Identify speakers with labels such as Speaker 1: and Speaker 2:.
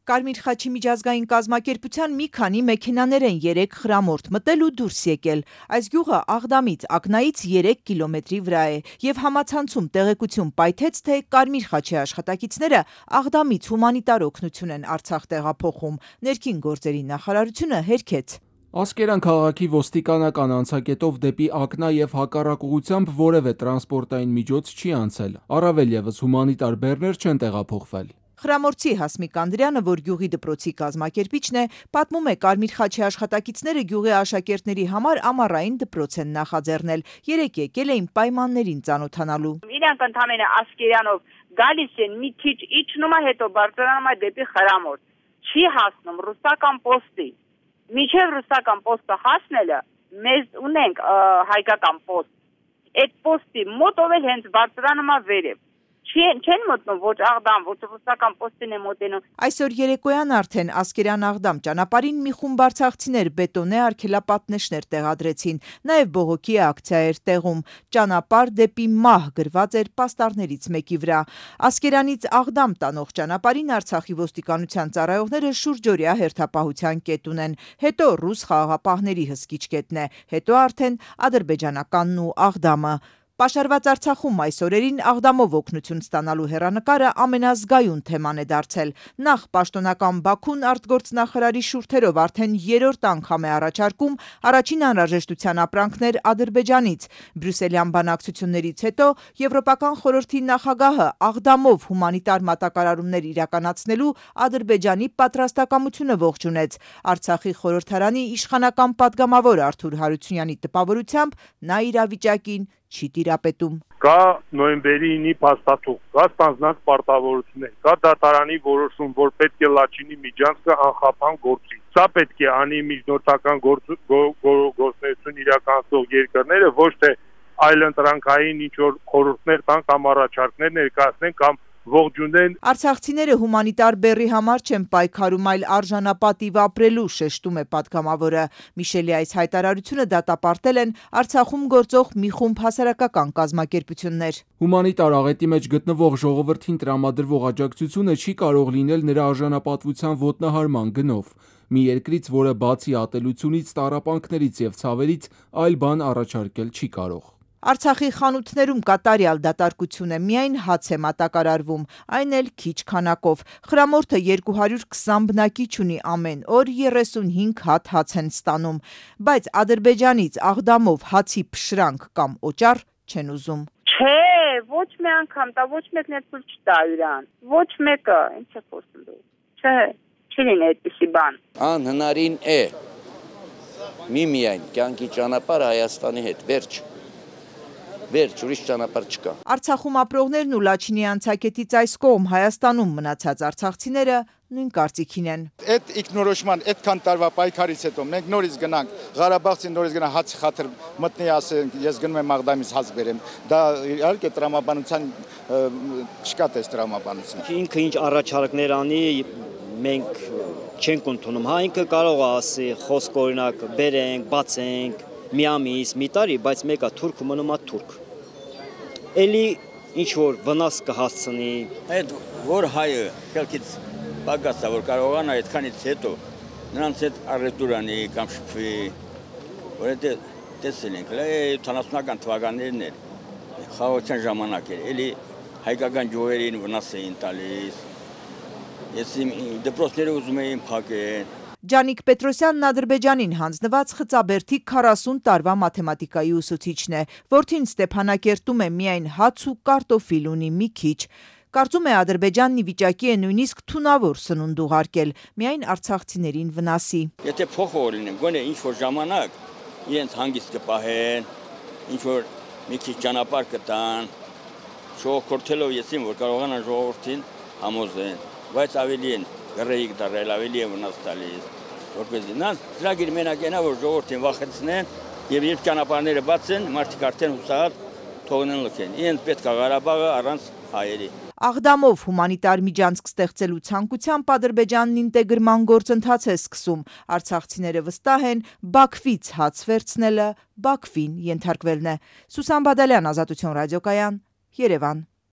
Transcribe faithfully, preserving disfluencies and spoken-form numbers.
Speaker 1: Կարմիր խաչի միջազգային կազմակերպության մի քանի մեքենաներ են երեկ Խրամորդ մտել ու դուրս եկել։ Այս գյուղը Աղդամից ակնայից երեք կիլոմետրի վրա է եւ համացանցում տեղեկություն պայթեց, թե Կարմիր խաչի աշխատակիցները Աղդամից հումանիտար օգնություն են Արցախ տեղափոխում։ Ներքին գործերի նախարարությունը հերքեց։
Speaker 2: Ասկերան քաղաքի ոստիկանական անցակետով դեպի Ակնա եւ հակառակ ուղությամբ որևէ տրանսպորտային միջոց չի անցել։ Առավել եւս հումանիտար բեռներ չեն տեղափոխվել։
Speaker 1: Խրամորդցի Հասմիկ Անդրյանը, որ գյուղի դպրոցի կազմակերպիչն է, պատմում է Կարմիր խաչի աշխատակիցները գյուղի աշակերտների համար ամառային դպրոց են նախաձեռնել։ Երեք եկել էին պայմաններին ծանոթանալու։
Speaker 3: Իրանք ընդամենը Ասկերանով գալիս են մի քիչ իջնում է, հետո բարձրանում է դեպի Խրամորդ։ Չի հասնում ռուսական պոստի։ Միջև ռուսական պոստը հասնելը մեզ ունենք հայկական պոստ։ Այդ պոստի մոտով էլ հենց բարձրանում է վերև։ Չեն մտնում ոչ Աղդամ, ոչ ռուսական պոստին է մոտենում։
Speaker 1: Այսօր երեկոյան արդեն Ասկերան-Աղդամ ճանապարհին մի խումբ արցախցիներ բետոնե արգելապատնեշներ տեղադրեցին, նաև բողոքի ակցիա էր տեղում։ Ճանապարհ դեպի մահ գրված էր պաստառներից մեկի վրա։ Ասկերանից Աղդամ տանող ճանապարհին Արցախի ոստիկանության ծառայողները շուրջօրյա հերթապահության կետ ունեն, հետո ռուս խաղաղապահների հսկիչ կետն է, հետո արդեն ադրբեջանականն ու Աղդամը։ Պաշարված Արցախում այս օրերին Աղդամով օգնություն ստանալու հեռանկարը ամենազգայուն թեման է դարձել։ Նախ պաշտոնական Բաքուն արտգործնախարարի շուրթերով արդեն երրորդ անգամ է առաջարկում առաջին անհրաժեշտության ապրանքներ Ադրբեջանից։ Բրյուսելյան բանակցություններից հետո Եվրոպական խորհրդի նախագահը Աղդամով հումանիտար մատակարարումներ իրականացնելու Ադրբեջանի պատրաստակամությունը ողջունեց։ Արցախի խորհրդարանի իշխանական պատգամավոր Արթուր Հարությունյանի տպավորությամբ նա իրավիճակին չի տիրապետում։
Speaker 4: Կա նոյեմբերի ինի փաստաթուղթ, կա ստանձնած պարտավորություններ, կա դատարանի որոշում, որ պետք է Լաչինի միջանցքը անխափան գործի։ Սա պետք է անի միջնորդական գործունեություն իրականացնող երկրները, ոչ թե այլընտրանքային ինչ-որ խորհուրդներ տան կամ առաջարկներ ներկայացնեն կամ ողջունեն։
Speaker 1: Արցախցիները հումանիտար բեռի համար չեն պայքարում, այլ արժանապատիվ ապրելու, շեշտում է պատգամավորը։ Միշելի այս հայտարարությունը դատապարտել են Արցախում գործող մի խումբ հասարակական կազմակերպություններ։
Speaker 2: Հումանիտար աղետի մեջ գտնվող ժողովրդին տրամադրվող աջակցությունը չի կարող լինել նրա արժանապատվության ոտնահարման գնով։ Մի երկրից, որը բացի ատելությունից, տառապանքներից եւ ցավերից այլ բան առաջարկել չի կարող։
Speaker 1: Արցախի խանութներում կատարյալ դատարկություն է, միայն հաց է մատակարարվում, այն էլ քիչ քանակով։ Խրամորդը երկու հարյուր քսան բնակիչ ունի, ամեն օր երեսունհինգ հատ հաց են ստանում, բայց Ադրբեջանից Աղդամով հացի փշրանք կամ օճառ չեն ուզում։
Speaker 3: Չէ, ոչ մի անգամ, դա ոչ մեկն էլ ցույց չտա իրան։ Ոչ մեկը, ինչ է խոսում դու։ Չէ, չի լինի այդպիսի բան։
Speaker 5: Անհնարին է։ Մի միայն կյանքի ճանապարհը Հայաստանի հետ, վերջ։ Վերջ, ուրիշ ճանապարհ չկա։
Speaker 1: Արցախում ապրողներն ու Լաչինի անցակետից այս կողմ Հայաստանում մնացած արցախցիները նույն կարծիքին են։
Speaker 6: Այդ ինքնորոշման այդքան տարվա պայքարից հետո մենք նորից գնանք Ղարաբաղցին նորից գնա հացի խաթր մտնի ասենք ես գնում եմ Աղդամից հաց բերեմ։ Դա իհարկե տրամաբանության չկա տես տրամաբանություն։
Speaker 7: Ինքը ինչ առաջարկներ անի մենք չենք ընդունում։ Հա ինքը կարող է ասի խոսք օրինակ բերենք, բացենք մի ամիս, մի տարի, բայց մեկը թուրք մնում է թուրք։ Էլի ինչ որ վնաս կհասցնի։
Speaker 8: Այդ որ հայը քելքից պակասա որ կարողանա այդքանից հետո նրանց հետ առետուրանի կամ շփվի, որ դա տեսել ենք, ութանասունական թվականներն էր, խաղաղության ժամանակ էր, էլի հայկական գյուղերին վնաս էին տալիս։ Ես դպրոցները ուզում էին փակել։
Speaker 1: Ջանիկ Պետրոսյանն Ադրբեջանին հանձնված Խծաբերդի քառասուն տարվա մաթեմատիկայի ուսուցիչն է, որդին Ստեփանակերտում է միայն հաց ու կարտոֆիլ ունի մի քիչ։ Կարծում է Ադրբեջանն ի վիճակի է նույնիսկ թունավոր սնունդ ուղարկել, միայն արցախցիներին վնասի։
Speaker 8: Եթե փոխող լինեն, գոնե ինչ որ ժամանակ իրենց հանգիստ կպահեն, ինչ որ մի քիչ ճանապարհ կտան, շողոքորթելով եսին, որ կարողանան ժողովրդին համոզեն, բայց ավելի են գրեիք դարել, ավելի են վնաս տալիս, որպեսզի նրանց ծրագիր մենակ ենա, որ ժողովրդին վախեցնեն եւ երբ ճանապարհները բացեն, մարդիկ արդեն հուսահատ թողնեն լքեն։ Իրենց պետք է Ղարաբաղը առանց հայերի։
Speaker 1: Աղդամով հումանիտար միջանցք ստեղծելու ցանկությամբ Ադրբեջանն ինտեգրման գործընթաց է սկսում։ Արցախցիները վստահ են, Բաքվից հաց վերցնելը Բաքվին ենթարկվելն է։ Սուսան Բադալյան, Ազատություն ռադիոկայան, Երևան։